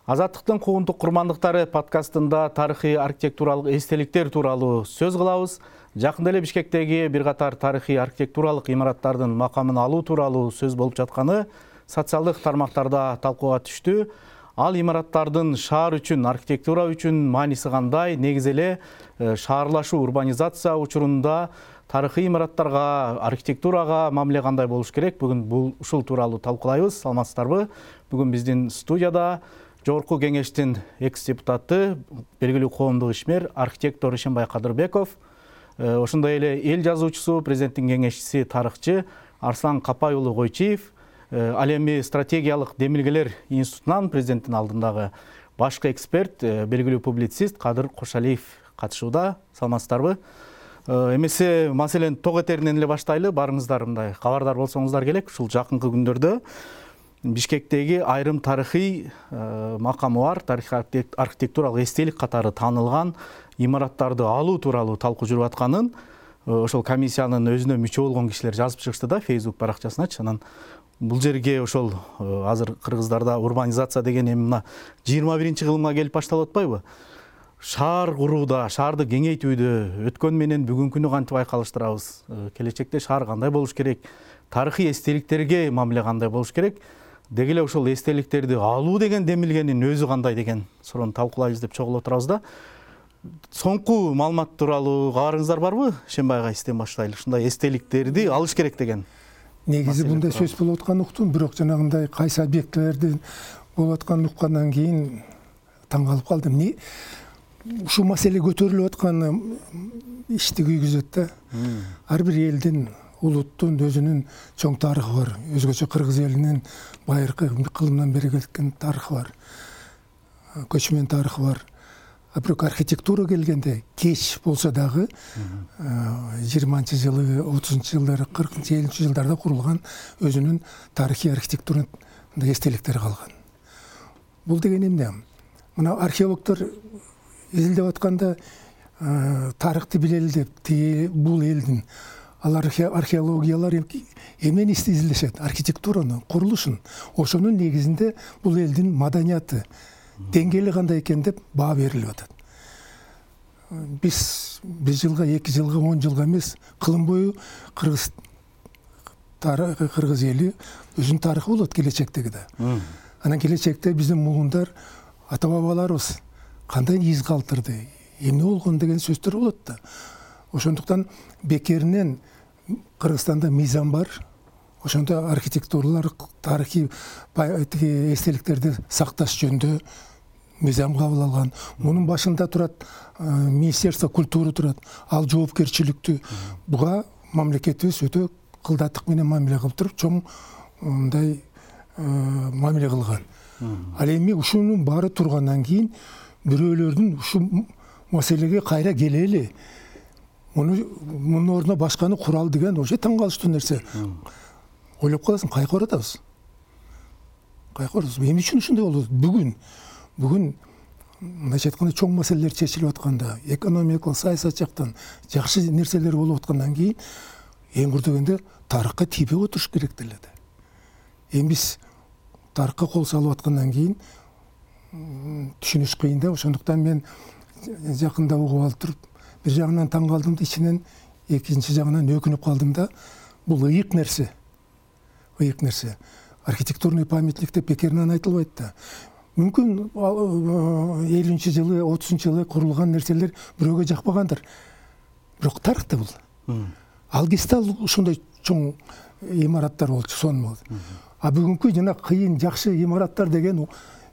Азаттыктын куугунтук курмандыктары подкастында тарыхый архитектуралык эстеликтер тууралуу сөз кылабыз. Жакында эле Бишкектеги бир катар тарыхый архитектуралык имараттардын макамын алуу тууралуу сөз болуп жатканы социалдык тармактарда талкууга түштү. Ал имараттардын шаар үчүн, архитектура үчүн мааниси кандай? Негизи эле шаарлашуу, урбанизация учурунда тарыхый имараттарга, архитектурага мамиле кандай болуш керек? Бүгүн ушул тууралуу талкуулайбыз. Саламатсыздарбы? Бүгүн биздин студияда Жогорку кеңештин экс-депутаты, белгилүү коомдук ишмер, архитектор Ишенбай Кадырбеков, ошондой эле эл жазуучусу, президенттин кеңешчиси, тарыхчы Арслан Капай уулу Койчиев, ал эми стратегиялык демилгелер институтунан президенттин алдындагы башкы эксперт, белгилүү публицист Кадыр Кошалиев катышууда. Саламатсыздарбы? Эмесе маселени ток этеринен эле баштайлы. Барыңыздар мындай кабардар болсоңуздар келек. Ушул жакынкы күндөрдө Бишкектеги айрым тарыхый макамы бар, тарыхый архитектуралык эстелик катары таанылган имараттарды алуу тууралуу талкуу жүрүп атканын ошол комиссиянын өзүнө мүчө болгон кишилер жазып чыгышты да Facebook баракчасыначы. Анан бул жерге ошол азыр кыргыздарда урбанизация деген эми мына 21-кылымга келип башталып атпайбы? Шаар курууда, шаарды кеңейтүүдө өткөн менен бүгүнкүнү кантип айкалыштырабыз? Келечекте шаар кандай болуш керек? Тарыхый эстеликтерге мамиле кандай болуш керек? Деги эле ошол эстеликтерди алуу деген демилгенин өзү кандай деген суроону талкуулайбыз деп чогулуп отурабыз да. Соңку маалымат тууралуу кабарыңыздар барбы? Ишенбай агайсызден баштайлы. Ушундай эстеликтерди алыш керек деген. Негизи мындай сөз болуп атканын уктум, бирок жанагындай кайсы объектилердин болуп атканын уккандан кийин таң калып калдым. Ушул маселе көтөрүлүп атканы ишти күйгүзөт да. Ар бир элдин, улуттун өзүнүн чоң тарыхы бар. Өзгөчө кыргыз элинин байыркы кылымдан бери кеткен тарыхы бар. Көчмөн тарыхы бар. Бирок архитектура келгенде кеч болсо дагы 20-жылы, 30-жылдары, 40-50 жылдарда курулган өзүнүн тарыхый архитектура эстеликтери калган. Бул деген эмне? Мына археологдор изилдеп атканда тарыхты билели деп, бул элдин алар археологиялар эмнени изилдешет? Архитектураны, курулушун. Ошонун негизинде бул элдин маданияты, деңгээли кандай экен деп баа берилип атат. Биз 1 жылга, 2 жылга, 10 жылга эмес, кылым бою кыргыз эли өзүнүн тарыхы болот келечектеги да. Анан келечекте биздин муундар, ата бабаларыбыз кандай из калтырды, эмне болгон деген сөздөр болот да. Ошондуктан бекеринен Кыргызстанда мыйзам бар. Ошондо архитектуралар, тарыхый эстеликтерди сакташ жөнүндө мыйзам кабыл алган. Мунун башында турат Министерство культуры турат. Ал жоопкерчиликтүү буга мамлекетибиз өтө кылдаттык менен мамиле кылып туруп, чоң мындай мамиле кылган. Ал эми ушунун баары тургандан кийин бирөөлөрдүн ушул маселеге кайра келели, мунун ордуна башканы курал деген вообще таң калыштуу нерсе. Ойлоп каласың, кайка баратабыз? Эмне үчүн ушундай болот? Бүгүн мындайча айтканда чоң маселелер чечилип атканда, экономикалык, саясат жактан жакшы нерселер болуп аткандан кийин эң курдөгөндө тарыхка тийбей отуруш керек деле да. Эми биз тарыхка кол салып аткандан кийин түшүнүш кыйын да. Ошондуктан мен жакында угуп алып туруп, бир жагынан таң калдым да, ичинен экинчи жагынан өкүнүп калдым да. Бул ыйык нерсе. Архитектурный памятник деп бекеринен айтылбайт да. Мүмкүн 50-жылы, 30-жылы курулган нерселер бирөөгө жакпагандыр. Бирок тарыхта бул. Ал кезде ушундай чоң имараттар болчу, сонун. А бүгүнкү жана кыйын жакшы имараттар деген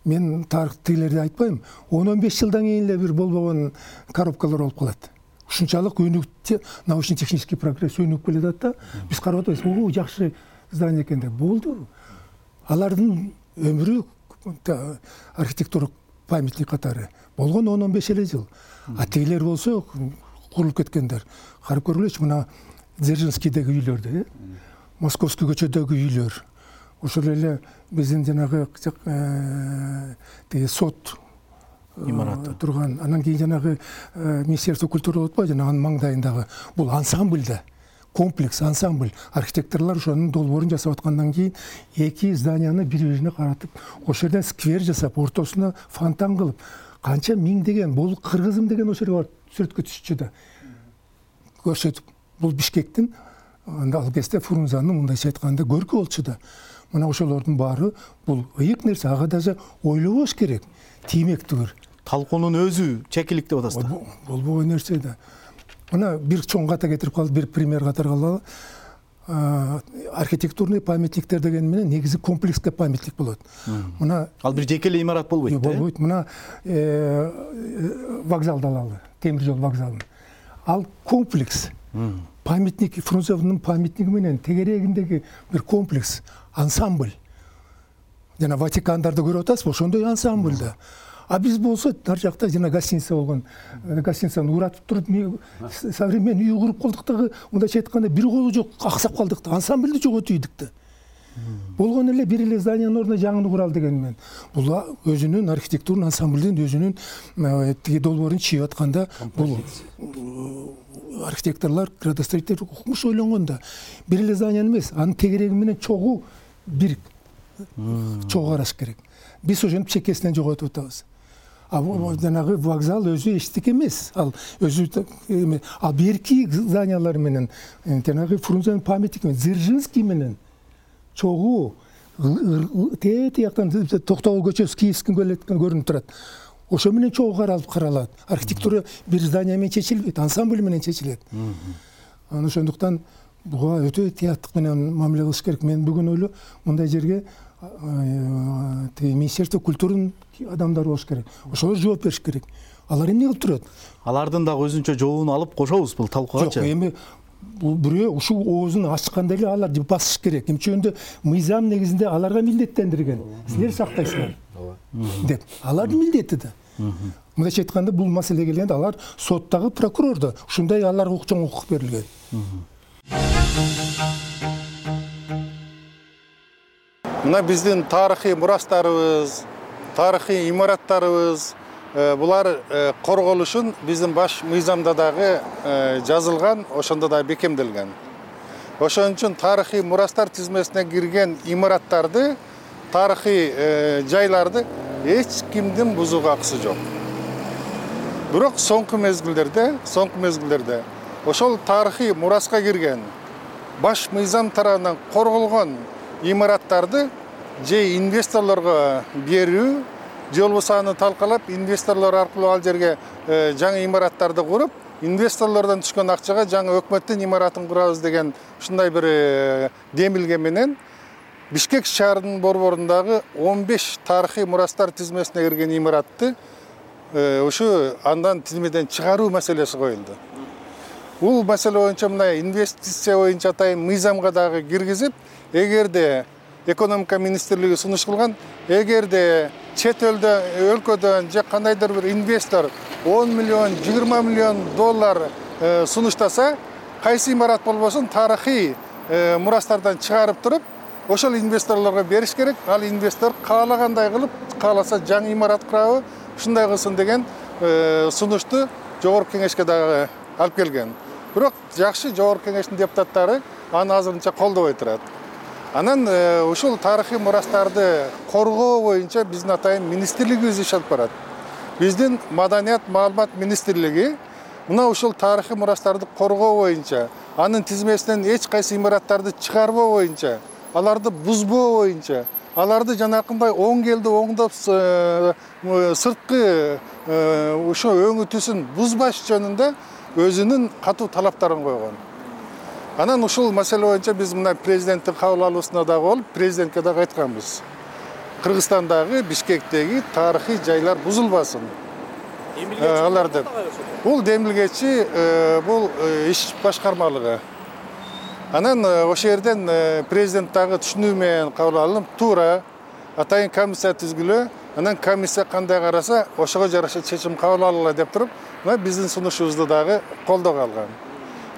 мен тарыхтыйлерди айтпайм. 10-15 жылдан кийин эле бир болбогон коробкалар болуп калат. Ушунчалык өнүкүп, научно-технический прогресс өнүгүп келе жатат да. Биз карап атабыз, жакшы здание экен деп. Болду. Алардын өмүрү архитектура памятник катары болгон 10-15 эле жыл. А тегилер болсо курулуп кеткендер. Карап көргүлөчү, мына Дзержинскийдеги үйлөрдү, Московский көчөдөгү үйлөр. Ошол эле биздин жанагы сот имараты турган. Анан кийин жанагы Министерство культуры болуп атпайбы, жанагынын маңдайындагы бул ансамбль да. комплекс, ансамбль. Архитекторлор ошонун долбоорун жасап аткандан кийин эки зданияны бири-бирине каратып, ошол жерден сквер жасап, ортосуна фонтан кылып, канча миңдеген, бул кыргызым деген ошол жерге барып сүрөткө түшчү да. Көрсөтүп, бул Бишкектин ал кезде Фрунзенин мындайча айтканда көркү болчу да. Мына ошолордун баары бул ыйык нерсе, ага даже ойлобош керек. Тиймек түгүр. Талкуунун өзү чекилик деп атасыз да. Болбогон нерсе да. Мына бир чоң ката кетирип калды, бир пример катары алалы. Архитектурный памятниктер деген менен негизи комплекске памятник болот. Мына ал бир жеке эле имарат болбойт да. Болбойт. Мына вокзалды алалы, темир жол вокзалын. Ал комплекс. Памятник, Фрунзенин памятниги менен тегерегиндеги бир комплекс, ансамбль. Жана Ватикандарды көрүп атасызбы, ошондой ансамбль да. А биз болсо ар жакта жана гостиница болгон. Гостиницаны уратып туруп, современный үй куруп калдык дагы, мындайча айтканда бир колу жок, аксап калдык да. Ансамбльди жоготуп ийдик да. Болгон эле бир эле зданиянын ордуна жаңыны куралы деген менен. Бул өзүнүн архитектурный ансамблдин өзүнүн тиги долбоорун чийип атканда, бул архитекторлор, градостроитель укмуш ойлонгон да. Бир эле зданияны эмес, анын тегереги менен чогуу бир чогуу караш керек. Биз ошентип чекесинен жоготуп атабыз. Жанагы вокзал өзү эчтеке эмес. Ал өзү ал берки зданиялар менен жанагы Фрунзенин памятники менен, Дзержинский менен чогуу тияктан Токтогул көчөсү Киевский келеткен көрүнүп турат. Ошо менен чогуу каралат. Архитектура бир здания менен чечилбейт, ансамбль менен чечилет. Анан ошондуктан буга өтө ыктыяттык менен мамиле кылыш керек. Мен бүгүн ойлойм, мындай жерге Министерство культурунун адамдары болуш керек. Ошолор жооп бериш керек. Алар эмне кылып турат? Алардын дагы өзүнчө жообун алып кошобуз бул талкуугачы. Жок, эми бул бирөө ушул оозун ачканда эле алар басыш керек. Эмче өндө мыйзам негизинде аларга милдеттендирген. Силер сактайсыңар деп. Алардын милдети да. Мындайча айтканда, бул маселеге келгенде алар соттагы прокурор да. Ушундай аларга чоң укук берилген. Мына биздин тарыхый мурастарыбыз, тарыхый имараттарыбыз, булар корголушун биздин баш мыйзамда дагы жазылган, ошондо да бекемделген. Ошон үчүн тарыхый мурастар тизмесине кирген имараттарды, тарыхый жайларды эч кимдин бузууга акысы жок. Бирок соңку мезгилдерде ошол тарыхый мураска кирген, баш мыйзам тарабынан корголгон имараттарды же инвесторлорго берүү, же болбосо аны талкалап, инвесторлор аркылуу ал жерге жаңы имараттарды куруп, инвесторлордон түшкөн акчага жаңы өкмөттүн имаратын курабыз деген ушундай бир демилге менен Бишкек шаарынын борборундагы 15 тарыхый мурастар тизмесине кирген имаратты ушу андан тизмеден чыгаруу маселеси коюлду. Бул маселе боюнча мына инвестиция боюнча атайын мыйзамга дагы киргизип, эгерде экономика министрлиги сунуш кылган, эгерде чет өлкөдөн же кандайдыр бир инвестор 10 миллион, 20 миллион доллар сунуштаса, кайсы имарат болбосун тарыхый мурастардан чыгарып туруп, ошол инвесторлорго бериш керек. Ал инвестор каалагандай кылып, кааласа жаңы имарат курабы, ушундай кылсын деген сунушту жогорку кеңешке дагы алып келген. Бирок жакшы, жогорку кеңештин депутаттары аны азырынча колдобой турат. Анан ушул тарыхый мурастарды коргоо боюнча биздин атайын министрлигибиз иш алып барат. Биздин Маданият маалымат министрлиги мына ушул тарыхый мурастарды коргоо боюнча, анын тизмесинен эч кайсы имараттарды чыгарбоо боюнча, аларды бузбоо боюнча, аларды жанакындай оң келди оңдоп сырткы ошо өңү түсүн бузбаш жөнүндө өзүнүн катуу талаптарын койгон. Анан ушул маселе боюнча биз мына президенттин кабыл алуусуна дагы болуп, президентке дагы айтканбыз. Кыргызстандагы, Бишкектеги тарыхый жайлар бузулбасын. Алар деп. Бул демилгечи, бул иш башкармалыгы. Анан ошол жерден президент дагы түшүнүү менен кабыл алынып, туура атайын комиссия түзгүлө, анан комиссия кандай караса, ошого жараша чечим кабыл алгыла деп туруп, мына биздин сунушубузду дагы колдоого алган.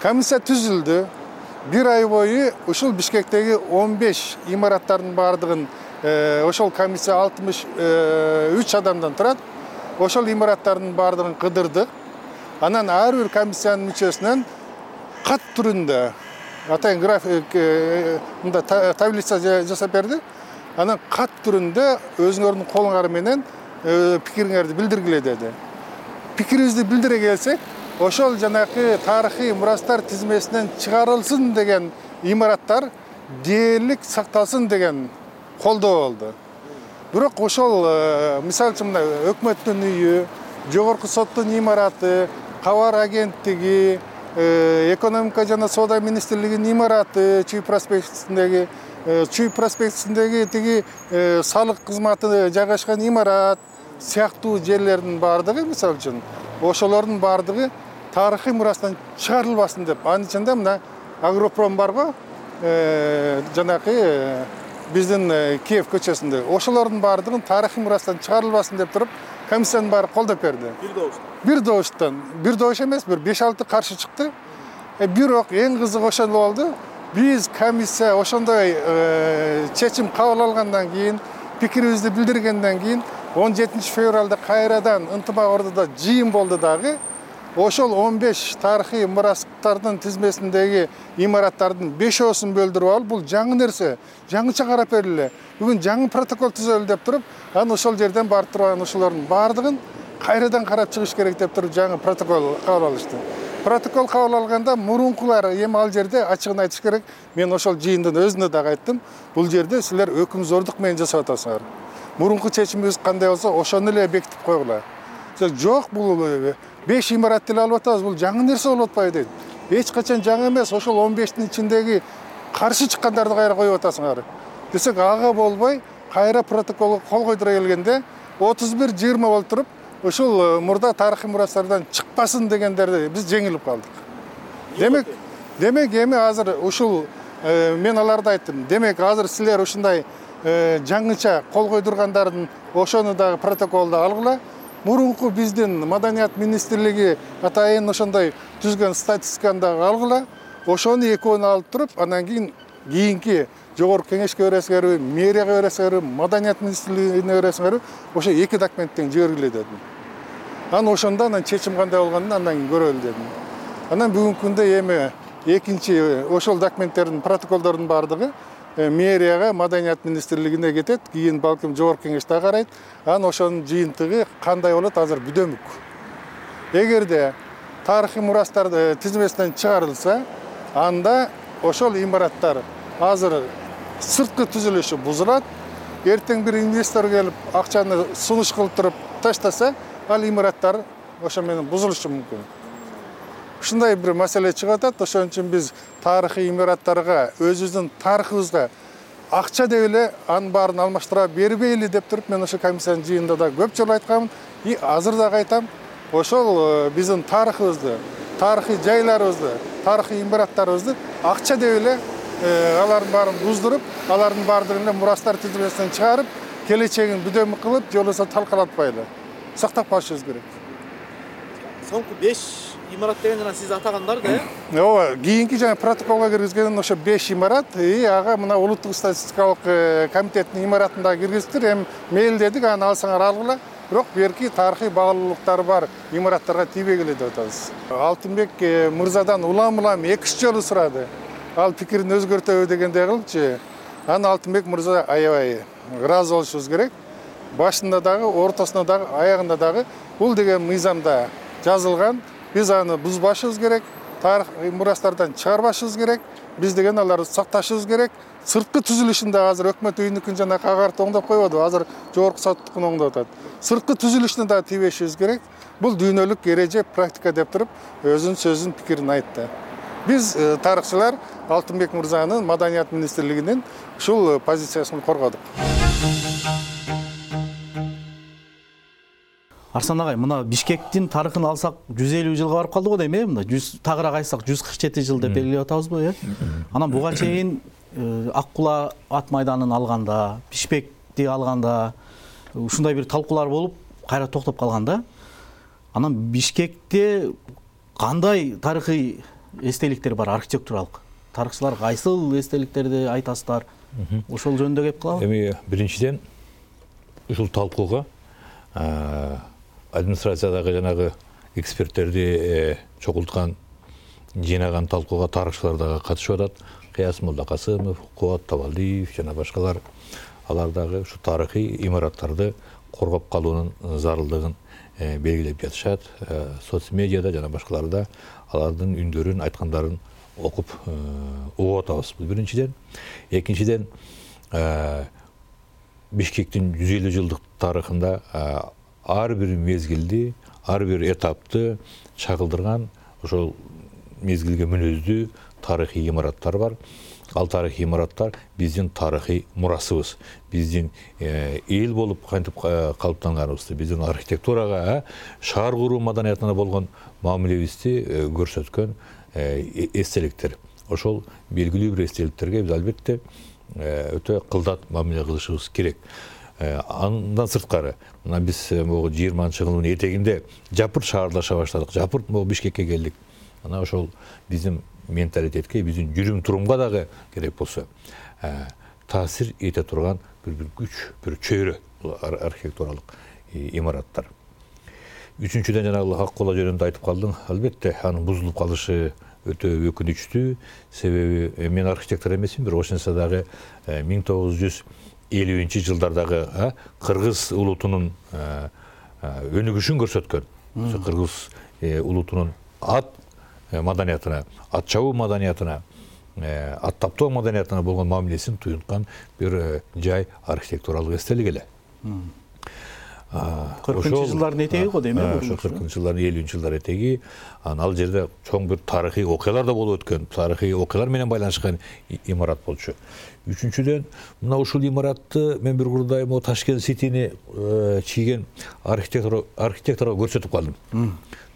Комиссия түзүлдү. Bir ay boyu ушул Бишкектеги 15 имараттардын бардыгын ошол комиссия 63 адамдан турат. Ошол имараттардын бардыгын кыдырдык. Анан ар бир комиссиянын мүчөсүнөн кат түрүндө атайын график мында таблица жасап берди. Анан кат түрүндө өзүңөрдүн колуңар менен пикириңерди билдиргиле деди. Пикирибизди билдире келсек, ошол жанакы тарыхый мурастар тизмесинен чыгарылсын деген имараттар дээрлик сакталсын деген колдоо болду. Бирок ошол мисалы үчүн мына өкмөттүн үйү, жогорку соттун имараты, кабар агенттиги, экономика жана соода министрлигинин имараты, Чүй проспектисиндеги тиги салык кызматы жайгашкан имарат сыяктуу жерлердин баардыгы, мисалы үчүн, ошолордун баардыгы тарыхый мурастан чыгарылбасын деп. Анын ичинде мына Агропром барго, жанакы биздин Киев көчөсүндө. Ошолордун баардыгын тарыхый мурастан чыгарылбасын деп туруп, комиссиянын баары колдоп берди. Бир добуш эмес, бир 5-6 каршы чыкты. Бирок эң кызыгы ошол болду. Биз комиссия ошондой чечим кабыл алгандан кийин, пикирибизди билдиргенден кийин 17 февралда кайрадан ынтымак ордодо жыйын болду дагы. Ошол 15 тарыхый мурастардын тизмесиндеги имараттардын 5-оосун бөлдүрүп алып, бул жаңы нерсе, жаңыча карап бериле. Бүгүн жаңы протокол түзөлү деп туруп, анан ошол жерден барып турган ошолордун баардыгын кайрадан карап чыгыш керек деп туруп жаңы протокол кабыл алышты. Протокол кабыл алганда мурункулар эми ал жерде ачыгын айтыш керек. Мен ошол жыйындын өзүнө дагы айттым. Бул жерде силер өкүмзордук менен жасап атасыңар. Мурунку чечимибиз кандай болсо, ошону эле бекитип койгула. Жок, бул 5 имарат деле алып атабыз, бул жаңы нерсе болуп атпайбы дейт. Эч качан жаңы эмес, ошол 15-тин ичиндеги каршы чыккандарды кайра коюп атасыңар. Десек, ага болбой, кайра протоколго кол койдура келгенде 31-20 болуп туруп, ошол мурда тарыхый мурастардан чыкпасын дегендерди биз жеңилип калдык. Демек эми азыр ушул мен аларды айттым. Демек азыр силер ушундай жаңыча кол койдургандардын ошону дагы протоколдо алгыла. Мурунку биздин Маданият министрлиги атайын ошондой түзгөн статистиканы дагы алгыла. Ошону экөөнү алып туруп, анан кийинки жогорку кеңешке бересиңерби, мэрияга бересиңерби, Маданият министрлигине бересиңерби, ошо 2 документтен жибергиле дедим. Анан ошондо чечим кандай болгонун андан кийин көрөлү дедим. Анан бүгүнкү күндө эми экинчи ошол документтердин, протоколдордун баардыгы мэрияга, Маданият министрлигине кетет, кийин балким жогорку кеңеште карайт. Анан ошонун жыйынтыгы кандай болот азыр бүдөмүк. Эгерде тарыхый мурастар тизмесинен чыгарылса, анда ошол имараттар азыр сырткы түзүлүшү бузулат. Эртең бир инвестор келип акчаны сунуш кылып туруп таштаса, ал имараттар ошо менен бузулушу мүмкүн. Ушундай бир маселе чыгып атат. Ошон үчүн биз тарыхый имараттарга, өзүбүздүн тарыхыбызга акча деп эле анын баарын алмаштыра бербейли деп туруп, мен ошо комиссиянын жыйынында да көп жолу айтканмын. И азыр дагы айтам, ошол биздин тарыхыбызды, тарыхый жайларыбызды, тарыхый имараттарыбызды акча деп эле алардын баарын буздуруп, алардын баардыгын эле мурастар тизмесинен чыгарып, келечегин бүдөмүк кылып, же болбосо талкалатпайлы. Сактап калышыбыз керек. Соңку 5 имарат деген жана сиз атагандар да? Ооба, кийинки жаңы протоколго киргизген ошо 5 имарат, ага мына улуттук статистикалык комитеттин имаратында киргиздиктир. Эми мейлдедик, аны алсаңар алгыла. Бирок берки тарыхый багылуулуктары бар имараттарга тийбегиле деп атабыз. Алтынбек мырзадан улам-улам 2 жолу сурады. Ал пикирин өзгөртөбү дегендей кылчы. Аны Алтынбек мырза аябай ыраазы болушубуз керек. Башында дагы, ортосунда дагы, аягында дагы бул деген мыйзамда жазылган. Биз аны бузбашыбыз керек, тарыхый мурастардан чыгарбашыбыз керек. Биз деген аларды сакташыбыз керек. Сырткы түзүлүшүндө азыр өкмөт үйүнүкүн жана кагарты оңдоп койбоду, азыр жогорку соттукун оңдоп атат. Сырткы түзүлүшүнө да тийбешибиз керек. Бул дүйнөлүк эреже, практика деп туруп, өзүнүн сөзүн, пикирин айтты. Биз тарыхчылар Алтынбек мырзанын Маданият министрлигинин ушул позициясын коргодук. Арсан агай, мына Бишкектин тарыхын алсак 150 жылга барып калды го дейм, мына 100 тагыраак айтсак 147 жыл деп белгилеп атабызбы, Анан буга чейин Аккула ат майданын алганда, Бишкекти алганда ушундай бир талкуулар болуп, кайра токтоп калган да. Анан Бишкекте кандай тарыхый эстеликтер бар, архитектуралык? Тарыхчылар кайсыл эстеликтерди айтасыздар? Ошол жөнүндө кеп калабы? Эми биринчиден ушул талкууга администрациядагы жанагы эксперттерди чогулткан жыйнаган талкууга тарыхчылар дагы катышып атат. Кыяс Молдокасымов, Кубат Табалдиев жана башкалар. Алар дагы ушу тарыхый имараттарды коргоп калуунун зарылдыгын белгилеп жатышат. Соц медиада жана башкаларда алардын үндөрүн, айткандарын окуп угуп атабыз. Бул биринчиден. Экинчиден, Бишкектин 150 жылдык тарыхында ар бир мезгилди, ар бир этапты чагылдырган ошол мезгилге мүнөздүү тарыхый имараттар бар. Ал тарыхый имараттар биздин тарыхый мурасыбыз. Биздин эл болуп кантип калыптанганыбызды, биздин архитектурага, шаар куруу маданиятына болгон мамилебизди көрсөткөн эстеликтер. Ошол белгилүү бир эстеликтерге биз албетте өтө кылдат мамиле кылышыбыз керек. Андан сырткары, мына биз 20-жылдын этегинде жапырт шаарлаша баштадык. Жапырт Бишкекке келдик. Мына ошол биздин менталитетке, биздин жүрүм-турумга дагы керек болсо таасир эте турган бир күч, бир чөйрө архитектуралык имараттар. Үчүнчүдөн жанагы Аккола жөнүндө айтып калдым. Албетте, анын бузулуп калышы өтө өкүнүчтүү. Себеби мен архитектор эмесмин, бирок ошентсе дагы 1950-жылдардагы кыргыз улутунун өнүгүшүн көрсөткөн. Кыргыз улутунун ат маданиятына, ат чабуу маданиятына, ат таптоо маданиятына болгон мамилесин туюнткан бир жай архитектуралык эстелик эле. 40-жылдардын этеги го дейм, ошо 40-жылдардын 50-жылдар этеги. Ал жерде чоң бир тарыхый окуялар да болуп өткөн, тарыхый окуялар менен байланышкан имарат болчу. Үчүнчүдөн, мына ушул имаратты мен бир курдай Ташкент Ситини чийген архитекторго көрсөтүп калдым.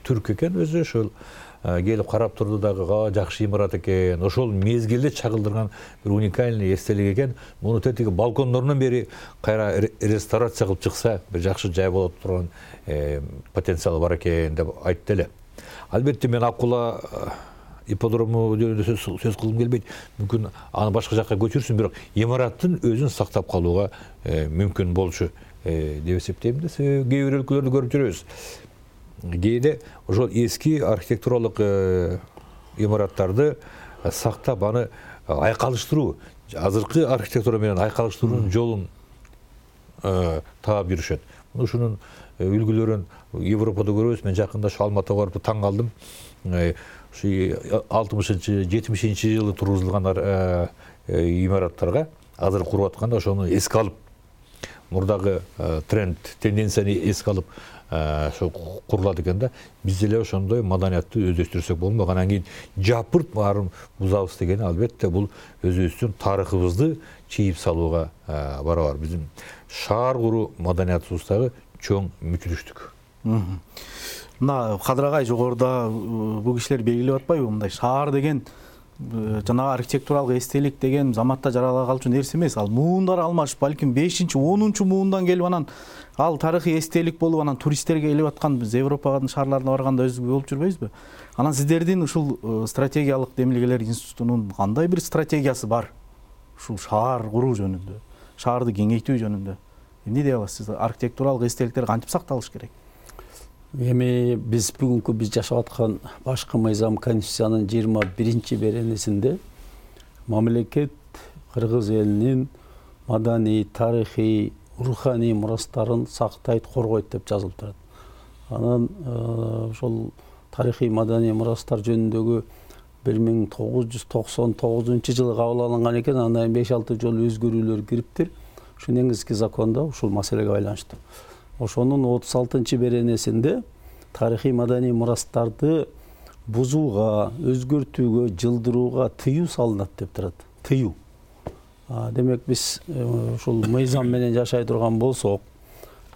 Түрк экен өзү, ошол келип карап турду дагы, жакшы имарат экен. Ошол мезгилде чагылдырган бир уникальный эстелик экен. Муну тетиги балкондорунан бери кайра реставрация кылып чыкса, бир жакшы жай болот турган потенциалы бар экен деп айтты эле. Албетте, мен Аккола ипподрому жөнүндө сөз кылгым келбейт. Мүмкүн аны башка жакка көчүрсүн, бирок имараттын өзүн сактап калууга мүмкүн болчу деп эсептейм да. Кээ бир өлкөлөрдү көрүп жүрөбүз. Кээде ошол эски архитектуралык имараттарды сактап, аны айкалыштыруу, азыркы архитектура менен айкалыштыруунун жолун таап жүрүшөт. Ушунун үлгүлөрүн Европада көрөбүз. Мен жакында ошо Алматыга барып таң калдым. Ушу 60-70-жылы тургузулган имараттарга азыр куруп атканда ошону эске алып, мурдагы тренд, тенденцияны эске алып ошо курулат экен да. Биз деле ошондой маданиятты өздөштүрсөк болмок. Анан кийин жапырт баарын бузабыз дегени албетте бул өзүбүздүн тарыхыбызды чийип салууга барабар. Биздин шаар куруу маданиятыбыздагы чоң мүчүлүштүк. Мына Кадырагай жогоруда бул кишилер белгилеп атпайбы? Мындай шаар деген жанагы архитектуралык эстелик деген заматта жарала калчу нерсе эмес. Ал муундар алмашып, балким 5-10 муундан келип анан ал тарыхый эстелик болуп, анан туристтерге келип аткан биз Европанын шаарларына барганда өзүбүз болуп жүрбөйбүзбү? Анан сиздердин ушул стратегиялык демилгелер институтунун кандай бир стратегиясы бар ушул шаар куруу жөнүндө, шаарды кеңейтүү жөнүндө? Эмне дей аласыз? Архитектуралык эстеликтер кантип сакталыш керек? Эми биз бүгүнкү жашап аткан башкы мыйзам Конституциянын 21-беренесинде мамлекет кыргыз элинин маданий, тарыхый, руханий мурастарын сактайт, коргойт деп жазылып турат. Анан ошол тарыхый маданий мурастар жөнүндөгү 1999-жылы кабыл алынган экен. Андан 5-6 жолу өзгөрүүлөр кириптир. Ушу негизги закондо ушул маселеге байланыштуу. Ошонун 36-беренесинде тарыхый маданий мурастарды бузууга, өзгөртүүгө, жылдырууга тыюу салынат деп турат. Тыюу. Демек биз ушул мыйзам менен жашай турган болсок,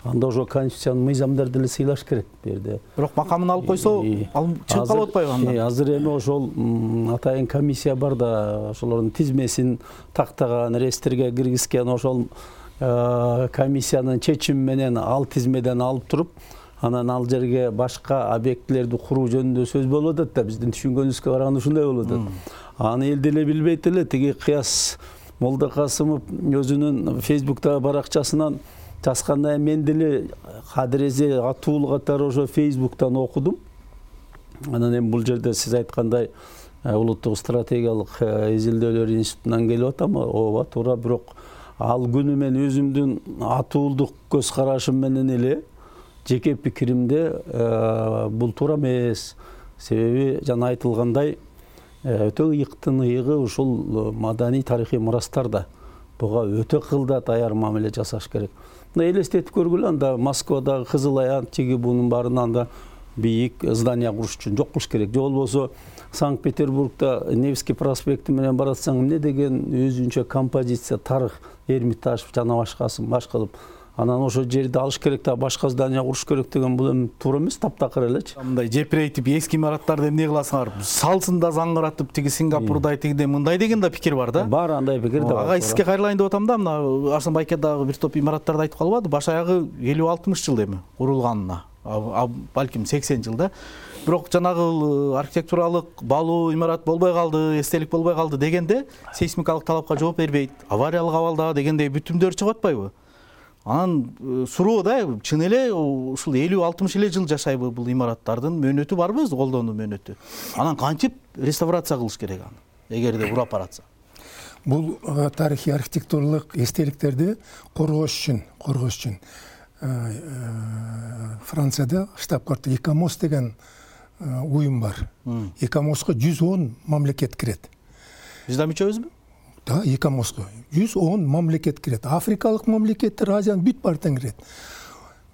анда ошо конституциянын мыйзамдарды деле сыйлаш керек бу жерде. Бирок макамын алып койсо, ал чыгып калып атпайбы анда? Азыр эми ошол атайын комиссия бар да, ошолордун тизмесин тактаган, реестрге киргизген, ошол комиссиянын чечими менен ал тизмеден алып туруп, анан ал жерге башка объектилерди куруу жөнүндө сөз болуп атат да, биздин түшүнгөнүбүзгө караганда ушундай болуп атат. Аны эл деле билбейт эле. Тиги Кыяс Молдокасымов өзүнүн Фейсбуктагы баракчасынан жазгандай мен деле кадирезе атуулу катары ошо Фейсбуктан окудум. Анан эми бул жерде сиз айткандай улуттук стратегиялык изилдөөлөр институтунан келип атам, ооба туура, бирок ал күнү мен өзүмдүн атуулдук көз карашым менен эле жеке пикиримде бул туура эмес. Себеби жана айтылгандай өтө ыйыктын ыйыгы ушул маданий тарыхый мурастарда. Буга өтө кылда даяр мамиле жасаш керек. Мына элестетип көргүлө, анда Москвадагы Кызыл Аян тиги бунун баарына анда бийик здание куруш үчүн жок кылыш керек. Же болбосо Санкт-Петербургда Невский проспекти менен баратсаң, эмне деген өзүнчө композиция, тарых, Эрмитаж жана башкасын баш кылып, анан ошол жерди алыш керек да башка здание куруш керек деген бул эми туура эмес, таптакыр элечи. Мындай жепирейтип эски имараттарды эмне кыласыңар? Салсын да заңгыратып, тиги Сингапурдай тигиндей мындай деген да пикир бар да. Бар, андай пикир да бар. Ага, сизге кайрылайын деп атам да, мына Арсын байке дагы бир топ имараттарды айтып калбады. Баш аягы 50-60 жыл эми курулганына. Балким 80 жыл да. Бирок жанагы архитектуралык баалуу имарат болбой калды, эстелик болбой калды дегенде сейсмикалык талапка жооп бербейт, авариялык абалда дегендей бүтүмдөр чыгып атпайбы? Анан суроо да, чын эле ушул 50-60 эле жыл жашайбы бул имараттардын мөөнөтү барбы, колдонуу мөөнөтү? Анан кантип реставрация кылыш керек аны, эгерде урап баратса? Бул тарыхый архитектуралык эстеликтерди коргош үчүн Францияда штаб-квартира ИКОМОС деген уюм бар. ИКОМОСко 110 мамлекет кирет. Биз да мүчөбүзбү? Да, ИКОМОСко 110 мамлекет кирет. Африкалык мамлекеттер, Азиянын бүт баарын кирет.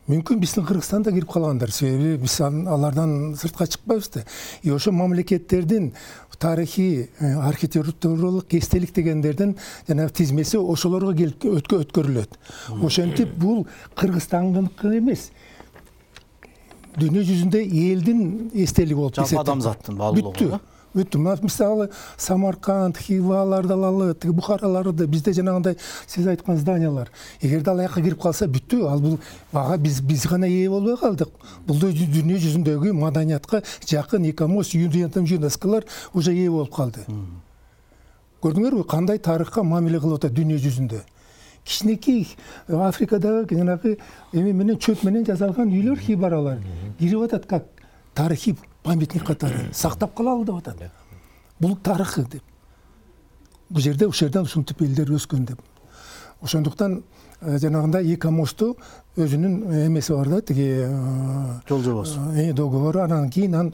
Мүмкүн биздин Кыргызстан да кирип калгандыр, себеби биз алардан сыртка чыкпайбыз да. Ошо мамлекеттердин тарыхый архитектуралык эстелик дегендердин жанагы тизмеси ошолорго келип өткөрүлөт. Ошентип бул Кыргызстандыкы эмес, дүйнө жүзүндө элдин эстелиги болуп эсептелет. Жалпы адамзаттын баалуулугу. Бүттү. Мисалы Самарканд, Хиваларды алалы, Бухараларды, бизде жанагындай сиз айткан зданиялар. Эгерде ал жака кирип калса бүттү. Ал бул бага биз гана ээ болбой калдык. Бул дүйнө жүзүндөгү маданиятка жакын ИКОМОС, ЮНЕСКОлор уже ээ болуп калды. Көрдүңөрбү кандай тарыхка мамиле кылып атат дүйнө жүзүндө? Кичинекей Африкадагы жанагы эме менен чөп менен жасалган үйлөр, хибаралар кирип атат как тарыхый памятник катары сактап калалы деп атат. Бул тарыхы деп. Бул жерде ушинтип элдер өскөн деп. Ошондуктан жанагындай ИКОМОСту өзүнүн эмеси бар да, тиги жол жобосу. Договору, анан кийин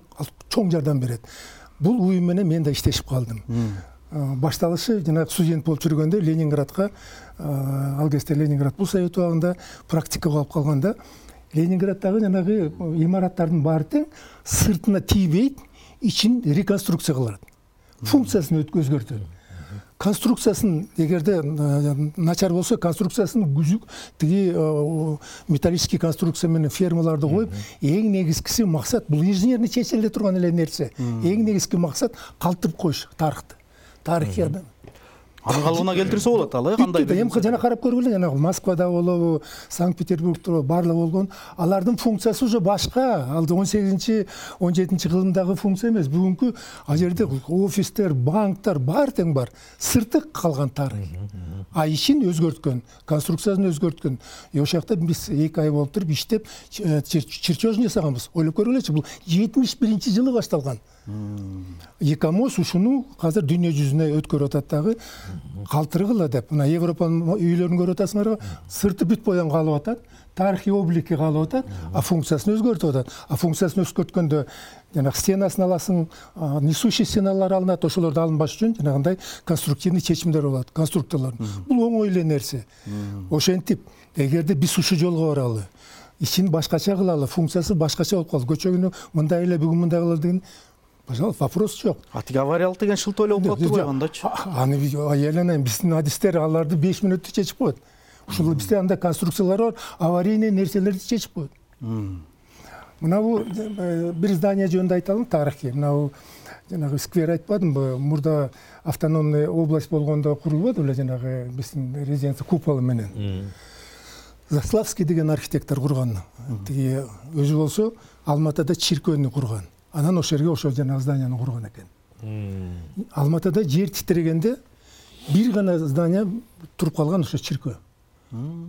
чоң жардам берет. Бул уюм менен мен да иштешип калдым. Башталышы жанагы студент болуп жүргөндө Ленинградка, ал кезде Ленинград бул Совет убагында практикага алып калганда, Ленинградтагы жанагы имараттардын баары тең сыртына тийбейт, ичин реконструкция кылат. Функциясын өзгөртөт. Конструкциясын эгерде начар болсо, конструкциясын тиги металлический конструкция менен фермаларды коюп, эң негизгиси максат бул инженерный чечиле турган эле нерсе. Эң негизги максат калтырып коюш тарыхты. Тарыхый адам. Анын калыбына келтирсе болот ал, кандай? Эми жана карап көргүлө, жанагы Москвада болобу, Санкт-Петербургда барлыгы болгон, алардын функциясы уже башка. Ал 18-17 кылымдагы функция эмес. Бүгүнкү ал жерде офистер, банктар бар тең бар. Сырты калган тарых. А ичин өзгөрткөн, конструкциясын өзгөрткөн. Ошол жакта биз 2 ай болуп туруп иштеп, чертежин жасаганбыз. Ойлоп көргүлөчү, бул 71-жылы башталган. ИКОМОС ушуну азыр дүйнө жүзүнө өткөрүп атат дагы, калтыргыла деп. Мына Европанын үйлөрүн көрүп атасыңарбы? Сырты бүт боян калып атат, тарыхый облики калып атат, а функциясын өзгөртүп атат. А функциясын өзгөрткөндө жанагы стенасын аласың, несущий стеналар алынат, ошолорду алынбаш үчүн жанагындай конструктивный чечимдер болот, конструкторлор. Бул оңой эле нерсе. Ошентип, эгерде биз ушул жолго баралы, ичин башкача кылалы, функциясы башкача болуп калды. Көчөгүнү мындай эле, бүгүн мындай кылалы деген, пожалуйста, вопрос жок. Тиги авариялык деген шылтоо эле болуп калыптыр койгондочу. Аны аяланайын, биздин адистер аларды 5 мүнөттө чечип коет. Ушул бизде андай конструкциялар бар, аварийный нерселерди чечип коет. Мына бул бир здание жөнүндө айталым, тарыхый. Мына жанагы сквер айтпадымбы, мурда автономный область болгондо курулбоду эле жанагы биздин резиденция куполу менен. Заславский деген архитектор курган. Тиги өзү болсо Алматыда чиркөөнү курган. Анан ошол жерге ошол жанагы зданияны курган экен. Алматыда жер титирегенде бир гана здание туруп калган, ошо чиркөө.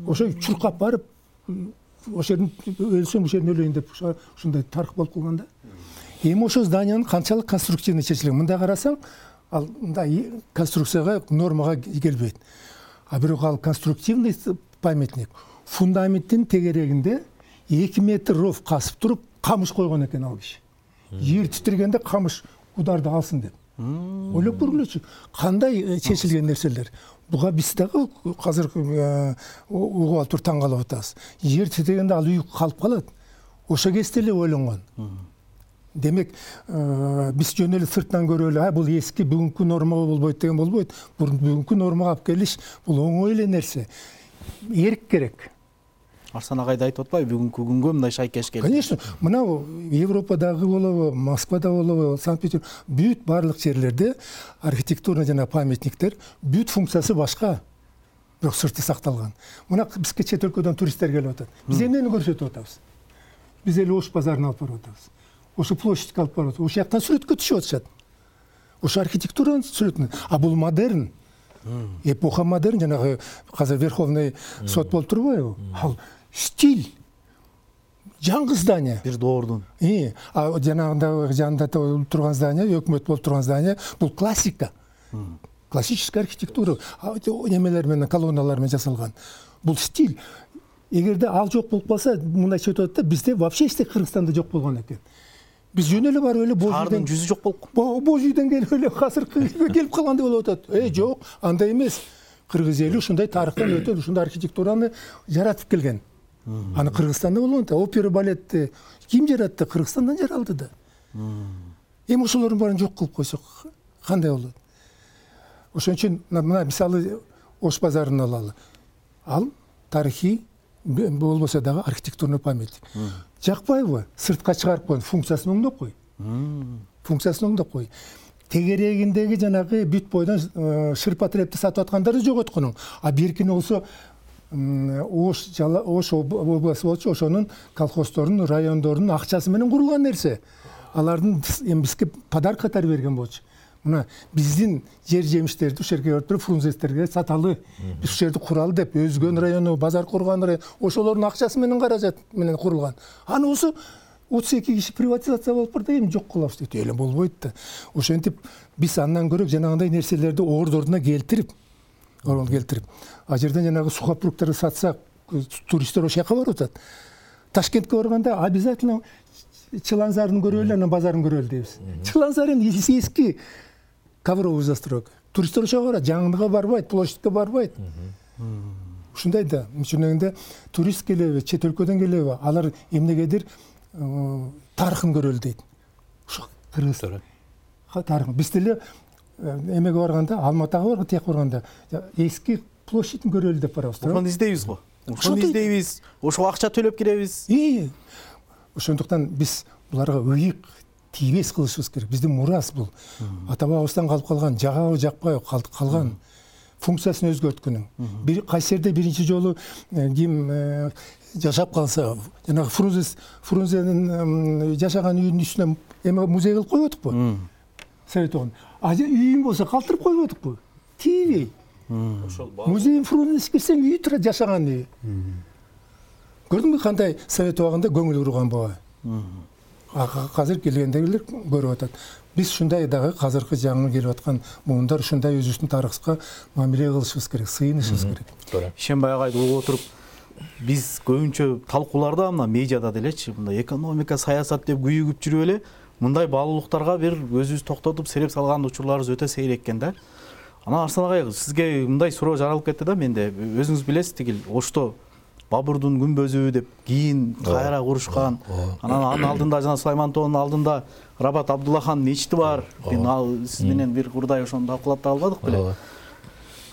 Ошо чуркап барып, ошол жердин өлсөм ошол жердин өлөйүн деп ушундай тарых болуп калган да. Эми ошол зданиянын канчалык конструктивный чечилген. Мында карасаң, ал мындай конструкцияга, нормага келбейт. А бирок ал конструктивный памятник фундаменттин тегерегинде 2 метр ров касып туруп, камыш койгон экен ал киши. Жер титиргенде камыш ударды алсын деп. Ойлоп көргүлөчү, кандай чечилген нерселер. Буга биз дагы азыр угуп алып туруп таң калып атабыз. Жер титиргенде ал үй калып калат. Ошо кезде эле ойлонгон. Демек, биз жөн эле сыртынан көрүп эле, бул эски бүгүнкү нормага болбойт деген болбойт. Бүгүнкү нормага алып келиш бул оңой эле нерсе. Эрк керек. Арсан агайды айтып атпайбы, бүгүнкү күнгө мындай шайкеш келди. Конечно, мына Европадагы болобу, Москвада болобу, Санкт-Петербург, бүт барлык жерлерде архитектурный жана памятниктер бүт функциясы башка, бирок сырты сакталган. Мына бизге чет өлкөдөн туристтер келип атат. Биз эмнени көрсөтүп атабыз? Биз эле Ош базарын алып барып атабыз. Ошо площадька алып барып атабыз. Ошол жактан сүрөткө түшүп атышат. Ошо архитектуранын сүрөтүн. А бул модерн. Эпоха модерн, жанагы азыр Верховный сот болуп турбайбы? Ал стиль. Жаңы здание. Бир доордун. А жанында турган здание, өкмөт болуп турган здание, бул классика. Классическая архитектура, немелер менен, колонналар менен жасалган. Бул стиль. Эгерде ал жок болуп калса, мындайча өтүп атат да, бизде вообще эч Кыргызстанда жок болгон экен. Биз жөн эле барып эле Шаардын жүзү жок болуп. Боз үйдөн келип эле азыр келип калгандай болуп атат. Жок, андай эмес. Кыргыз эли ушундай тарыхтан өтөт, ушундай архитектураны жаратып келген. Аны Кыргызстанда болгон да, опера балетти ким жаратты? Кыргызстандан жаралды да. Эми ошолордун баарын жок кылып койсок, кандай болот? Ошон үчүн мына мисалы Ош базарын алалы. Ал тарыхый болбосо дагы архитектурный памятник. Жакпайбы? Сыртка чыгарып койгон, функциясын оңдоп кой. Функциясын оңдоп кой. Тегерегиндеги жанагы бүт бойдон шырпа трепти сатып аткандарды жоготконуң. А беркини болсо Ош областы болчу, ошонун колхоздордун, райондордун акчасы менен курулган нерсе. Алардын эми бизге подарок катары берген болчу. Мына биздин жер жемиштерди ушул жерге өтүрүп фрунзестерге саталы. Биз ушул жерди куралы деп, Өзгөн району, базар курган район, ошолордун акчасы менен, каражат менен курулган. Аны болсо 32 киши приватизация болуп барды, эми жок кылабыз дейт. Эле болбойт да. Ошентип биз андан көрө жанагындай нерселерди ордордуна келтирип, а жерден жанагы сухопруктарды сатсак, туристтер ошол жака барып атат. Ташкентке барганда обязательно Чыланзарын көрөлү, анан базарын көрөлү дейбиз. Чыланзар эми эски ковровый застройка. Туристтер ошого барат, жаңыныга барбайт, площадька барбайт. Ушундай да, мынча турист келеби, чет өлкөдөн келеби, алар эмнегедир тарыхын көрөлү дейт. Ошо кыргыз тарыхы. Биз деле эмеге барганда, Алматыга барганда, тияк барганда эски площадьын көрөлү деп барабыз. Ошону издейбиз го. Ошону издейбиз, ошого акча төлөп киребиз. Ошондуктан биз буларга ыйык, тийбес кылышыбыз керек. Биздин мурас бул. Ата бабабыздан калып калган, жагабы жакпайбы калган, функциясын өзгөрткөнүң. Бир кайсы жерде биринчи жолу ким жашап калса, жанагы Фрунзенин жашаган үйүнүн үстүнө эме музей кылып койбодукпу? Совет огун. А үйүн болсо калтырып койбодукпу? Тийбей. Музей Фрунзе кирсең үйү турат, жашаган үйү. Көрдүңбү кандай совет убагында көңүл бурган буга? Азыр келгендегилер көрүп атат. Биз ушундай дагы азыркы жаңы келип аткан муундар ушундай өзүбүздүн тарыхка мамиле кылышыбыз керек, сыйынышыбыз керек. Ишенбай агайды угуп отуруп, биз көбүнчө талкууларда мына медиада делечи, мындай экономика, саясат деп күйүгүп жүрүп эле, мындай баалуулуктарга бир өзүбүз токтотуп сереп салган учурларыбыз өтө сейрек экен да. Анан Арсан агай, сизге мындай суроо жаралып кетти да менде. Өзүңүз билесиз, тигил Ошто Бабурдун күмбөзү деп кийин кайра курушкан. Анан анын алдында жана Сулайман тоонун алдында Рабат Абдуллахан мечити бар. Сиз менен бир урдай ошону талкуулап да албадык беле.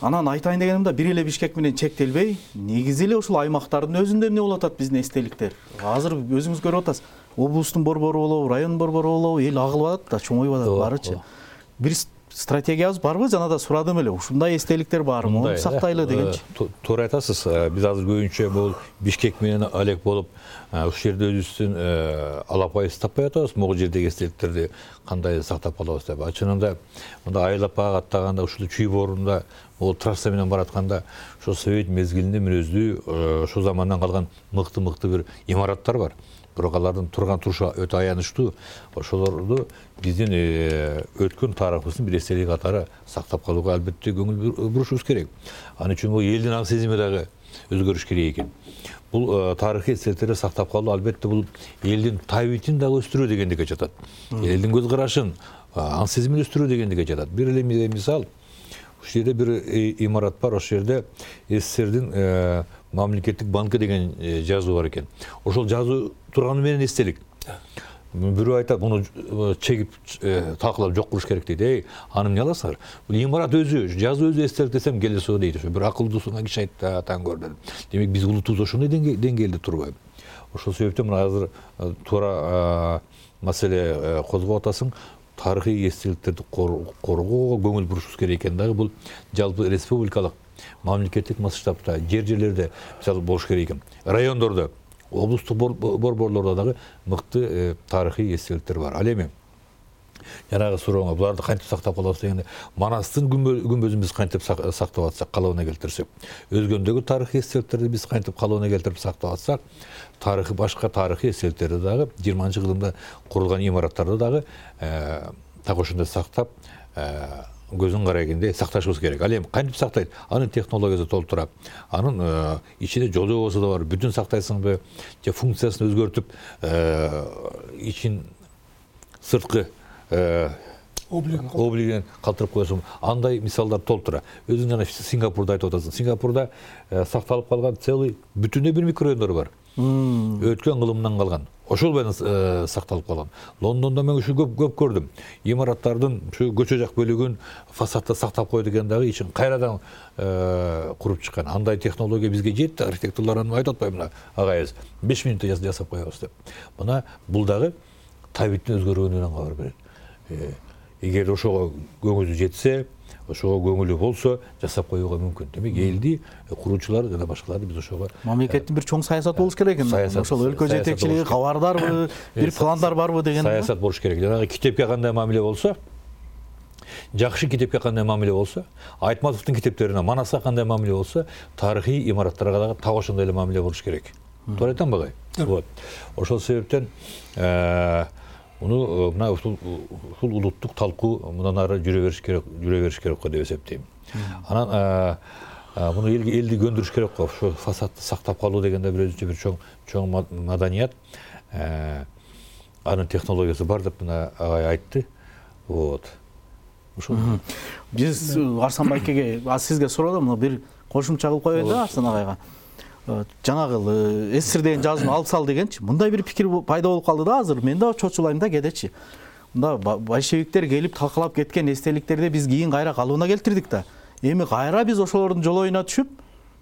Анан айтайын дегеним бир эле Бишкек менен чектелбей, негизи эле ушул аймактардын өзүндө эмне болуп атат биздин эстеликтер. Азыр өзүңүз көрүп атасыз. Облустун борбору болобу, райондун борбору болобу, эл агылып атат да, чоңоюп атат барычы. Бир стратегиябыз барбы? Жана да сурадым эле. Ушундай эстеликтер барбы? Муну сактайлы дегенчи. Туура айтасыз. Биз азыр көбүнчө бул Бишкек менен алек болуп, ушул жерде өзүбүздүн алапайыбызды таппай атабыз. Могу жердеги эстеликтерди кандай сактап калабыз деп. Чынында мында Айлапага аттаганда, ушул Чүй боорунда ол трасса менен баратканда, ошо совет мезгилинде мүнөздүү, ошол замандан калган мыкты бир имараттар бар. бирок алардын турган турушу өтө аянычтуу. Ошолорду биздин өткөн тарыхыбыздын бир эстелиги катары сактап калууга албетте көңүл бурушубуз керек. Ал үчүн бул элдин аң сезими дагы өзгөрүш керек экен. Бул тарыхый эстеликтерди сактап калуу албетте бул элдин табитин дагы өстүрүү дегендикке жатат. Элдин көз карашын, аң сезимин өстүрүү дегендикке жатат. Бир эле мисал, ушул жерде бир имарат бар, ошол жерде СССРдин мамлекеттик банкы деген жазуу бар экен. Ошол жазуу турганы менен эстелик. Бирөө айтат, муну чегип талкалап жок кылыш керек дейт. Аны эмне аласыңар? Бул имарат өзү, жазуу өзү эстелик десем келесо дейт. Ошо бир акылдуусуңа киши айтты, таң көр дедим. Демек биз улутубуз ошондой деңгээлде турбайбы? Ошол себептен мына азыр туура маселе козгоп атасың. Тарыхый эстеликтерди коргоого көңүл бурушубуз керек экен дагы. Бул жалпы республикалык мамлекеттик масштабта жерлерде мисалы болуш керек экен. Райондордо, облустук борборлордо дагы мыкты тарыхый эстеликтер бар. Ал эми жанагы сурооңо буларды кантип сактап калабыз дегенде, Манастын күмбөзүн биз кантип сактап атсак, калыбына келтирсек, өзгөндөгү тарыхый эстеликтерди биз кантип калыбына келтирип сактап атсак, тарыхый башка тарыхый эстеликтерди дагы 20-кылымда курулган имараттарды дагы так ошондой сактап көзүн карайгенде сакташыбыз керек. Ал эми кантип сактайт? Анын технологиясы толтура. Анын ичинде жол жобосу да бар. Бүтүн сактайсыңбы, же функциясын өзгөртүп, ичин сырткы облигин калтырып коесуң. Андай мисалдар толтура. Өзүң жана Сингапурда айтып атасың. Сингапурда сакталып калган целый бүтүндөй бир микрорайондор бар. Өткөн кылымдан калган. Ошол менен сакталып калган. Лондондо мен ушу көп көрдүм. Имараттардын ушу көчө жак бөлүгүн фасадта сактап койду экен дагы, ичин кайрадан куруп чыккан. Андай технология бизге жетти. Архитекторлордун айтып атпаймынбы, агайыбыз 5 мүнөттө жасап коебуз деп. Мына бул дагы табиттин өзгөрүүнөн кабар берет. Эгер ошого көңүлү жетсе, ошого көңүлү болсо, жасап коюуга мүмкүн. Демек элди куруучулар жана башкаларды биз ошого мамлекеттин бир чоң саясаты болуш керек экен. Ошол өлкө жетекчилиги кабардарбы, бир пландар барбы деген саясат болуш керек. Жанагы китепке кандай мамиле болсо, жакшы китепке кандай мамиле болсо, Айтматовдун китептерине, Манасга кандай мамиле болсо, тарыхый имараттарга дагы так ошондой эле мамиле болуш керек. Туура айтамбы агай? Вот. Ошол себептен муну мына ушул улуттук талкуу мындан ары жүрө бериш керек го деп эсептейм. Анан муну элди көндүрүш керек го. Ошо фасадты сактап калуу дегенде бир өзүнчө бир чоң маданият. Анын технологиясы бар деп мына агай айтты. Вот. Ошол. Биз Арсан байкеге, сизге суроодум, мына бир кошумча кылып коеюн да Арсан агайга. Жанагы СССР деген жазууну алып сал дегенчи. Мындай бир пикир пайда болуп калды да азыр. Мен да чочулайм да кедечи. Мында большевиктер келип талкалап кеткен эстеликтерди биз кийин кайра калыбына келтирдик да. Эми кайра биз ошолордун жолоюна түшүп,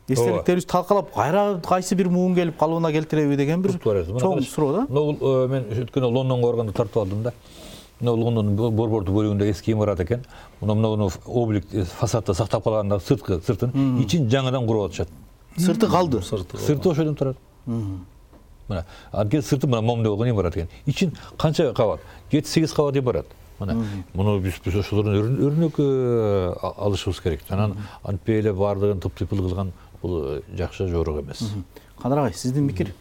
эстеликтерибизди талкалап кайра кайсы бир муун келип калыбына келтиреби деген бир чоң суроо да. Мен өткөн Лондонго барганда тартып алдым да. Лондондун борбордук бөлүгүндө эски имарат экен. Муну облик фасадта сактап калганда сыртын ичин жаңыдан куруп атышат. Сырты калды. Сырты ошодон турат. Мына, анткени сырты мына момундай болгон имарат экен. Ичин канча кабат? 7-8 кабат имарат. Мына, муну биз ошолордон өрнөк алышыбыз керек. Анан антпей эле баардыгын тып-тыйпыл кылган бул жакшы жорок эмес. Кадыр агай, сиздин пикир?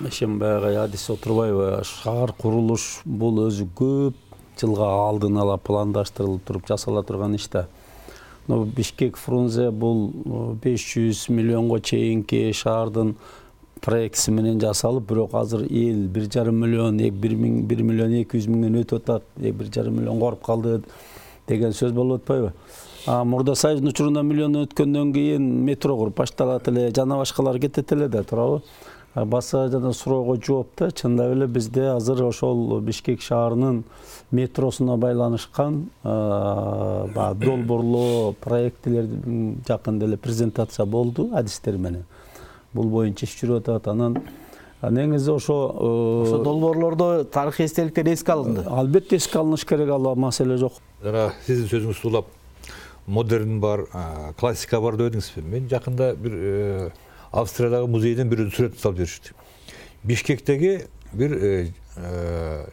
Ишем баягы адис отурбайбы, шаар курулуш бул өзү көп жылга алдын ала пландаштырылып туруп жасала турган иш да. Бишкек Фрунзе бул 500 миллионго чейинки шаардын проектиси менен жасалып, бирок азыр эл 1,5 миллион, 1 миллион 200 миңден өтүп атат, 1,5 миллион коруп калды деген сөз болуп атпайбы? Мурда Союздун учурунда миллион өткөндөн кийин метро куруп башталат эле, жана башкалар кетет эле да, туурабы? Баса жана суроого жооп да, чындап эле бизде азыр ошол Бишкек шаарынын метросуна байланышкан долбоорлоо проектилер жакында эле презентация болду адистер менен. Бул боюнча иш жүрүп атат. Анан негизи ошо долбоорлордо тарыхый эстеликтер эске алынды. Албетте эске алыныш керек, ал маселе жок. Жана сиздин сөзүңүздү улап модерн бар, классика бар деп эдиңизби? Мен жакында бир Австриядагы музейден бир сүрөт салып беришти. Бишкектеги бир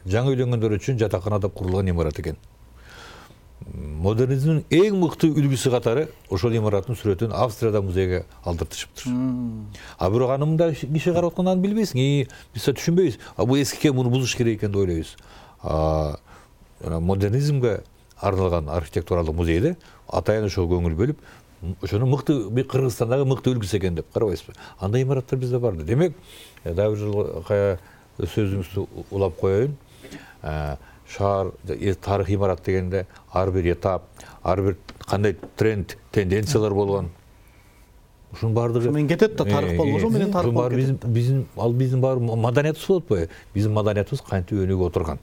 жаңы үйлөнгөндөр үчүн жатакана деп курулган имарат экен. модернизмдин эң мыкты үлгүсү катары ошол имараттын сүрөтүн Австрияда музейге алдыртышыптыр. А бирок аны мындай киши карап атканда аны билбейсиң. Биз түшүнбөйбүз. Бул эски экен, муну бузуш керек экен деп ойлойбуз. Модернизмге арналган архитектуралык музейде атайын ошого көңүл бөлүп, ошону мыкты Кыргызстандагы мыкты үлгүсү экен деп карабайсызбы? Андай имараттар бизде бар. Демек, дагы бир жолу сөзүңүздү улап коеюн. Шаар тарыхый имарат дегенде ар бир этап, ар бир кандай тренд, тенденциялар болгон. Ушунун баардыгы менен кетет да, тарых болбосо менен тарых болуп кетет. Биздин баары маданиятыбыз болуп атпайбы? Биздин маданиятыбыз кантип өнүгүп отурган.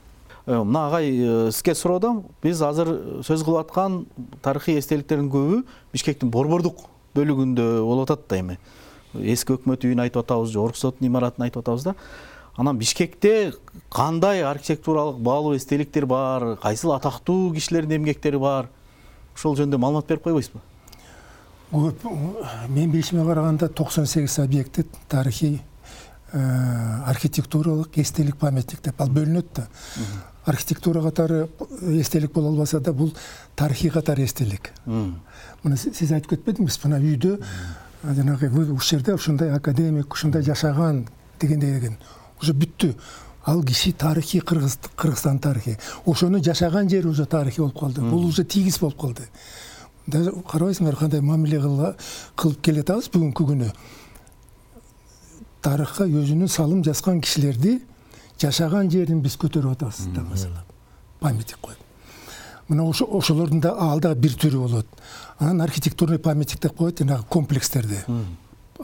Мына агай, сизге суроодом. Биз азыр сөз кылып аткан тарыхый эстеликтердин көбү Бишкектин борбордук бөлүгүндө болуп атат да эми. Эски өкмөт үйүн айтып атабыз, Орус сотунун имаратын айтып атабыз да. Анан Бишкекте кандай архитектуралык баалуу эстеликтер бар, кайсыл атактуу кишилердин эмгектери бар? Ошол жөнүндө маалымат берип койбойсузбу? Көп, мен билишиме караганда 98 объекти тарыхый архитектуралык эстелик памятник деп ал бөлүнөт да. Архитектура катары эстелик боло албаса да, бул тарыхый катары эстелик. Мына сиз айтып кетпедиңизби, мына үйдө жанагы ушул жерде ушундай академик, ушундай жашаган деген. Уже бүттү. Ал киши тарыхый, Кыргызстан тарыхый. Ошону жашаган жери уже тарыхый болуп калды. Бул уже тийгиз болуп калды. Даже карабайсыңар кандай мамиле кылып келатабыз бүгүнкү күнү. Тарыхка өзүнүн салым жазган кишилерди жашаган жерин биз көтөрүп атабыз да, маселе. Памятник коюп. Мына ошолордун да алда бир түрү болот. Анан архитектурный памятник деп коет, жанагы комплекстерди.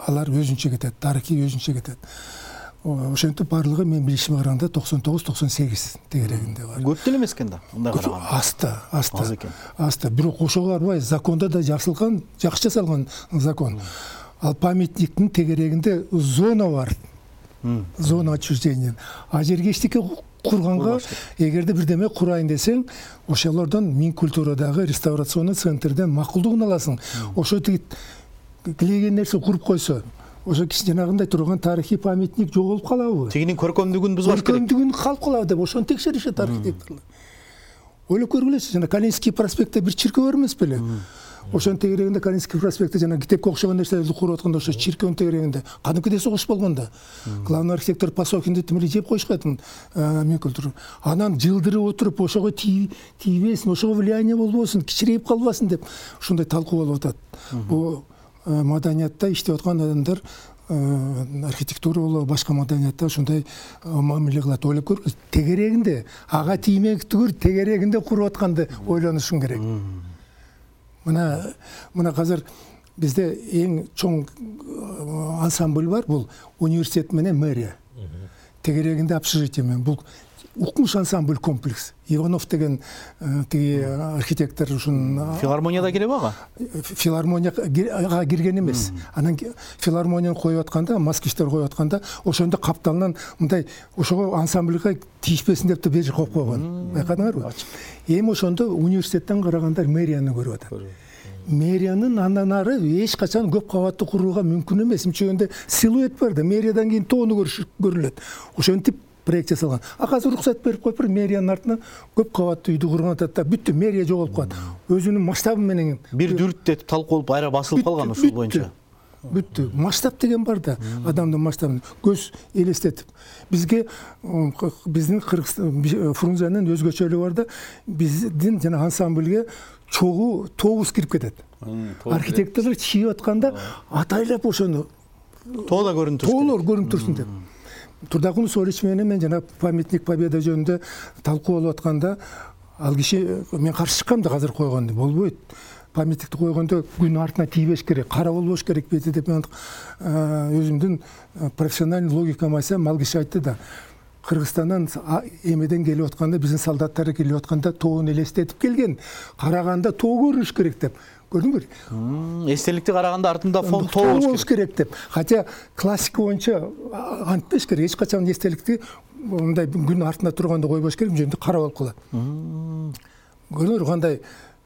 Алар өзүнчө кетет, тарыхый өзүнчө кетет. Ошентип барлыгы мен билишиме караганда 99-98 тегерегинде бар. Көп деле эмес экен да, мындай караганда. Аста. Бирок ошого арбай, закондо да жазылган, жакшы жасалган закон. Ал памятниктин тегерегинде зона бар. Зона отчуждения. А жерге эчтеке курганга, эгерде бирдеме курайын десең, ошолордон Мин культурадагы реставрационный центрден макулдугун аласың. Ошо тилеген нерсе куруп койсо, ошо киши жанагындай турган тарыхый памятник жоголуп калабы? Тигинин көркөмдүгүн бузбаш керек. Көркөмдүгүн калып калабы деп ошону текшеришет архитекторлор. Ойлоп көргүлөсүз, жана Калининский проспектте бир чиркөө бар эмес беле? Ошонун тегерегинде Калининский проспектте жана китепке окшогон нерселерди куруп атканда ошо чиркөөнүн тегерегинде кадимкидей согуш болгон да. Главный архитектор Пасокинди тимири жеп коюшкан Мин культура. Анан жылдырып отуруп ошого тийбесин, ошого влияние болбосун, кичирейип калбасын деп ушундай талкуу болуп атат. Бул маданиятта иштеп аткан адамдар архитектура болобу, башка маданиятта ушундай мамиле кылат. Ойлоп көргүлөз, тегерегинде ага тиймек түгүл, тегерегинде куруп атканды ойлонушуң керек. Мына азыр бизде эң чоң ансамбль бар, бул университет менен мэрия. Тегерегинде общежитие менен бул укмуш ансамбль комплекс. Иванов деген тиги архитектор ушун филармонияда киреби ага? Филармонияга кирген эмес. Анан филармонияны коюп атканда, москвичтер коюп атканда, ошондо капталынан мындай ошого ансамбльга тийишпесин деп бери коюп койгон. Байкадыңарбы? Эми ошондо университеттен карагандар мэрияны көрүп атат. Мэриянын андан ары эч качан көп кабаттуу курууга мүмкүн эмес. Мынчегенде силуэт бар да, мэриядан кийин тоону көрүлөт. Ошентип проект жасалган. Азыр уруксат берип коюп мэриянын артына көп кабаттуу үйдү курган атат да, бүттү, мэрия жоголуп калат. Өзүнүн масштабы менен бир дүрт талкуулуп айра басылып калган ушул боюнча. Бүттү. Масштаб деген бар да, адамдын масштабын көз элестетип. Биздин Фрунзенин өзгөчөлүгү бар да, биздин жана ансамбльге чогуу тоогуз кирип кетет. Архитекторлор чийип атканда атайлап ошону тоо да көрүнүп турсун. Тоолор көрүнүп турсун деп. Турдагун Сорич менен мен жана памятник Победа жөнүндө талкуу болуп атканда, ал киши мен каршы чыккам да, азыр койгонду болбойт. Памятникти койгондо күн артына тийбеш керек, кара болбош керек бети деп мен өзүмдүн профессиональный логикамды айтсам, ал киши айтты да, Кыргызстандан эмеден келип атканда, биздин солдаттар келип атканда тоону элестетип келген, караганда тоо көрүнүш керек деп. Көрдүңбү? Эстеликти караганда артында фон тоо болуш керек деп. Хотя классика боюнча антпеш керек, эч качан эстеликти мындай күн артында турганда койбош керек, жөнүндө кара болуп калат. Көрдүңөрбү кандай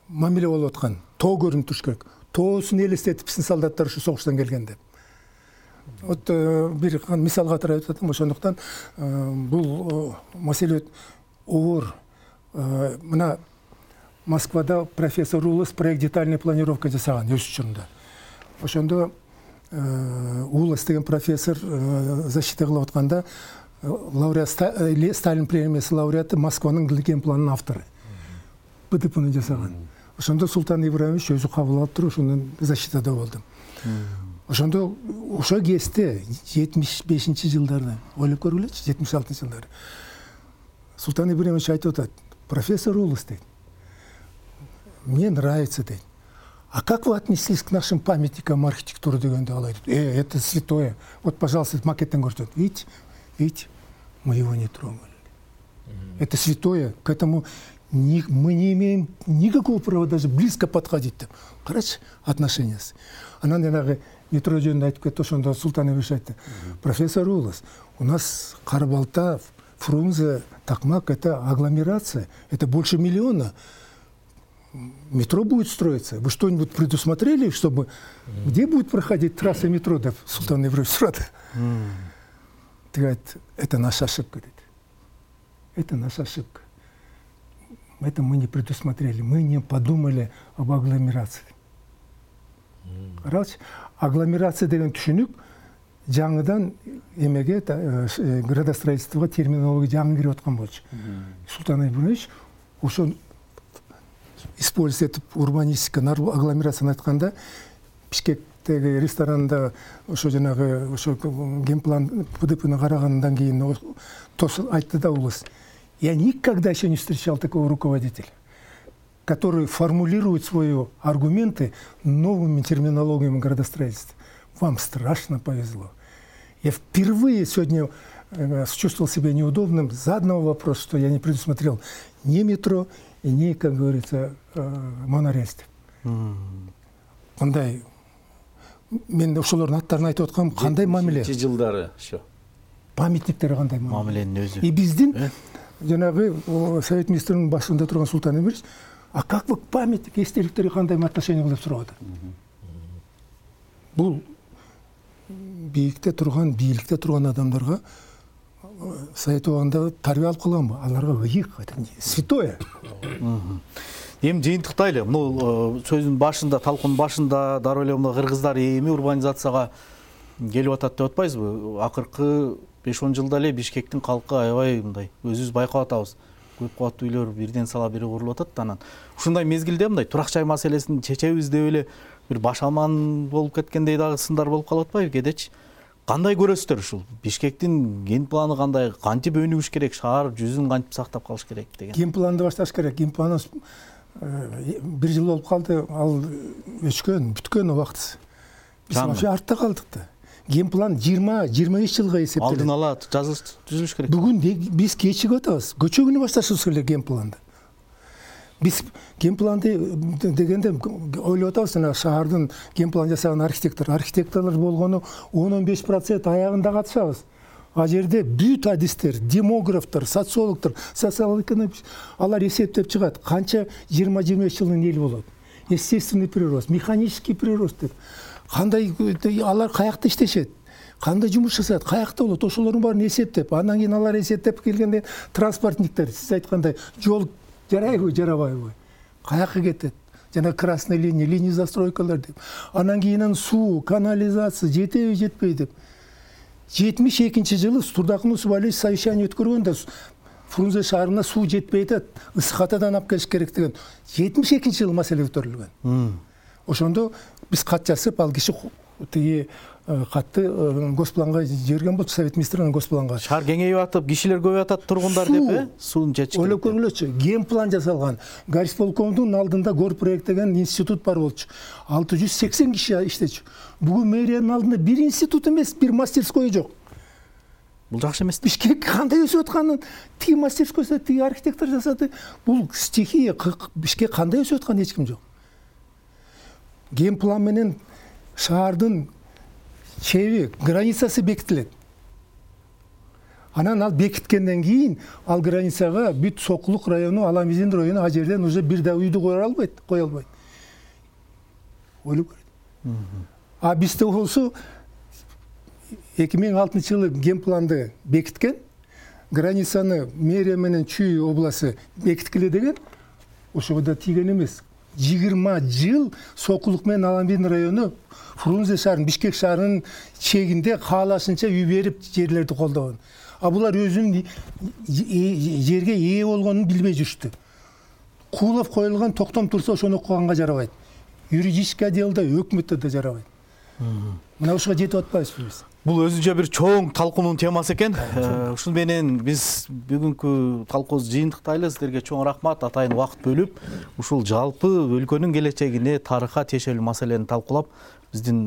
мамиле болуп аткан? Тоо көрүнүп туруш керек. Тоосун элестетип биздин солдаттар ушу согуштан келген деп. Вот бир мисал катары айтып атам, ошондуктан бул маселе оор. Мына Москвада профессор Улас проект детальная планировка жасаган өз учурунда. Ошондо Улас деген профессор защита кылып атканда лауреат Сталин премиясы лауреаты Москванын генпланынын автору. БДПны жасаган. Ошондо Султан Ибраимович өзү кабыл алып туруп ошонун защитада болдум. Ошондо ошо кезде 75-жылдарда ойлоп көргүлөчү, 76-жылдары. Султан Ибраимович айтып атат: профессор Улас дейт, мне нравится дейт. А как вы отнеслись к нашим памятникам архитектуры дегенде ал айтат: это святое. Вот, пожалуйста, макеттен көрсөтөт. Видите, мы его не трогали. Это святое, к этому мы не имеем никакого права даже близко подходить. Карачы, отношения. Анан жанагы метро жөнүндө айтып кетти, ошондо Султан Ибраимович айтты: профессор Улас, у нас Карабалта, Фрунзе, Токмак — это агломерация, это больше 1 миллиона. Метро будет строиться. Вы что-нибудь предусмотрели, чтобы где будет проходить трасса метро? Да, Султан Ибраимович сразу. Ты говорит, это наша ошибка. Это наша ошибка. Это мы не предусмотрели, мы не подумали об агломерации. Карачы, агломерация деген түшүнүк жаңыдан эмеге градостроительствого терминология жаңы кирип аткан болчу. Султан Ибраимович ошо использовать эту урбанистика, агломерацияны айтканда Бишкектеги ресторанында ошо жанагы ошо генплан ПДПны карагандан кийин айтты да Улас: я никогда еще не встречал такого руководителя, который формулирует свои аргументы новыми терминологиями градостроительства. Вам страшно повезло. Я впервые сегодня чувствовал себя неудобным за одного вопроса, что я не предусмотрел ни метро, и ни, как говорится, монорельсти. Кандай мен ошолордун аттарын айтып аткам, кандай мамиле? 70-жылдары ошо. Памятниктер кандай мамиленин өзү. И биздин жанагы Совет министринин башында турган Султан Ибраимович: а как вы к памятник, эстеликтерге кандай отношение кылып сурап атат? Бул бийликте турган адамдарга Совет убагында тарбия алып калганбы? Аларга ыйык, это святое. Эми жыйынтыктайлы. Бул сөздүн башында, талкуунун башында дароо эле мына кыргыздар эми урбанизацияга келип атат деп атпайсызбы? Акыркы 5-10 жылда эле Бишкектин калкы аябай мындай өзүбүз байкап атабыз. Көп кабаттуу үйлөр бирден сала бири курулуп атат. Анан ушундай мезгилде мындай турак жай маселесин чечебиз деп эле бир баш аман болуп кеткендей дагы сындар болуп калып атпайбы кедечи? Кандай көрөсүздөр ушул? Бишкектин ген планы кандай, кантип өнүгүш керек, шаар жүзүн кантип сактап калыш керек деген? Ген планды башташ керек. Ген планы 1 жыл болуп калды, ал өчкөн, бүткөн убакыт. Биз вообще артта калдык да. Ген план 20-25 жылга эсептелет. Алдын ала түзүлүш керек. Бүгүн биз кечигип атабыз. Көчөгүнү башташыбыз керек ген планды. Биз ген планды дегенде ойлоп атабыз, шаардын ген план жасаган архитекторлор болгону 10-15% аягында катышабыз. А жерде бүт адистер, демографтар, социологдор, социал-экономист алар эсептеп чыгат. Канча 20-25 жылдын эл болот. Естественный прирост, механический прирост деп. Кандай алар каякта иштешет? Кандай жумуш жасайт? Каякта болот? Ошолордун баарын эсептеп, андан кийин алар эсептеп келгенде транспортниктер, сиз айткандай, жол жарайбы, жарабайбы? Каякка кетет? Жана красный линия застройкалар деп. Андан кийин суу, канализация жетеби, жетпейби деп. 72-жылы Турдакун Усубалиевич совещание өткөргөндө Фрунзе шаарына суу жетпей атат, ысык-атадан алып келиш керек деген 72-жылы маселе көтөрүлгөн. Ошондо биз кат жазып, ал киши тиги катты госпланга жиберген болчу, Совет министринин госпланга. Шаар кеңейип атып, кишилер көбөйүп атат тургундар деп, суун чечиш керек. Ойлоп көргүлөчү, ген план жасалган. Горисполкомдун алдында Горпроект деген институт бар болчу. 680 киши иштечү. Бүгүн мэриянын алдында бир институт эмес, бир мастерской жок. Бул жакшы эмес. Бишкек кандай өсүп атканын тиги мастерскойсу, тиги архитектор жасады. Бул стихия, Бишкек кандай өсүп атканын эч ким жок. Ген план менен шаардын чеби, границасы бекитилет. Анан ал бекиткенден кийин ал границага бүт Сокулук району, Аламизин району а жерден уже бир да үйдү кое албайт. Ойлоп көрөт. А бизде болсо 2006-жылы ген планды бекиткен, границаны мэрия менен Чүй областы бекиткиле деген, ошого да тийген эмес. 20 жыл Сокулук менен Аламбин району Фрунзе шаарынын, Бишкек шаарынын чегинде каалашынча үй берип жерлерди колдогон. А булар өзүнүн жерге ээ болгонун билбей жүрүштү. Куулап коюлган токтом турса ошону окуганга жарабайт. Юридический отделда, өкмөттө да жарабайт. Мына ушуга жетип атпайбызбы биз? Бул өзүнчө бир чоң талкуунун темасы экен. Ушун менен биз бүгүнкү талкуубузду жыйынтыктайлы. Сиздерге чоң рахмат. Атайын убакыт бөлүп, ушул жалпы өлкөнүн келечегине, тарыхка тиешелүү маселени талкуулап, биздин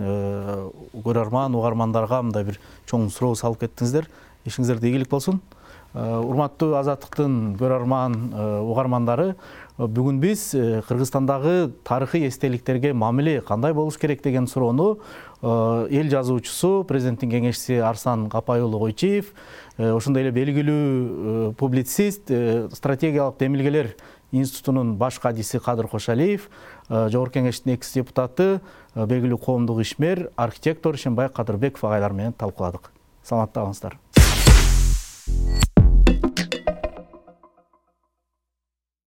көрөрман, угармандарга мындай бир чоң суроо салып кеттиңиздер. Ишиңиздерде ийгилик болсун. Урматтуу Азаттыктын көрөрман, угармандары, бүгүн биз Кыргызстандагы тарыхый эстеликтерге мамиле кандай болуш керек деген суроону эл жазуучусу, президенттин кеңешчиси Арсан Капай уулу Койчиев, ошондой эле белгилүү публицист, стратегиялык демилгелер институтунун баш кадиси Кадыр Кошалиев, Жогорку кеңештин экс депутаты, белгилүү коомдук ишмер, архитектор Шенбай Кадырбеков агайлар менен талкууладык. Саламатта калыңыздар.